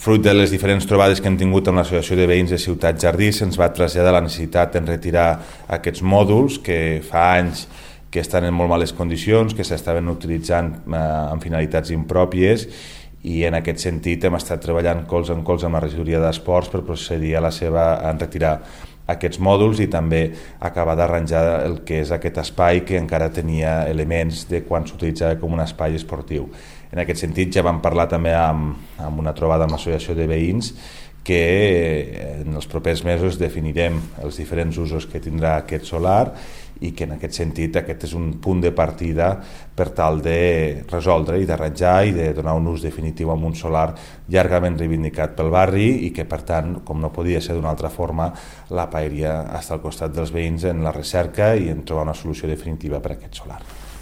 Fruit de les diferents trobades que hem tingut amb l'Associació de Veïns de Ciutat Jardí, se'ns va traslladar la necessitat de retirar aquests mòduls que fa anys que estan en molt males condicions, que s'estaven utilitzant amb finalitats impròpies, i en aquest sentit hem estat treballant colze en colze amb la regidoria d'Esports per procedir a retirar aquests mòduls i també acabar d'arranjar el que és aquest espai que encara tenia elements de quan s'utilitzava com un espai esportiu. En aquest sentit ja vam parlar també amb una trobada amb l'Associació de Veïns que en els propers mesos definirem els diferents usos que tindrà aquest solar i que en aquest sentit aquest és un punt de partida per tal de resoldre i d'arranjar i de donar un ús definitiu a un solar llargament reivindicat pel barri i que per tant, com no podia ser d'una altra forma, la paeria està al costat dels veïns en la recerca i en trobar una solució definitiva per a aquest solar.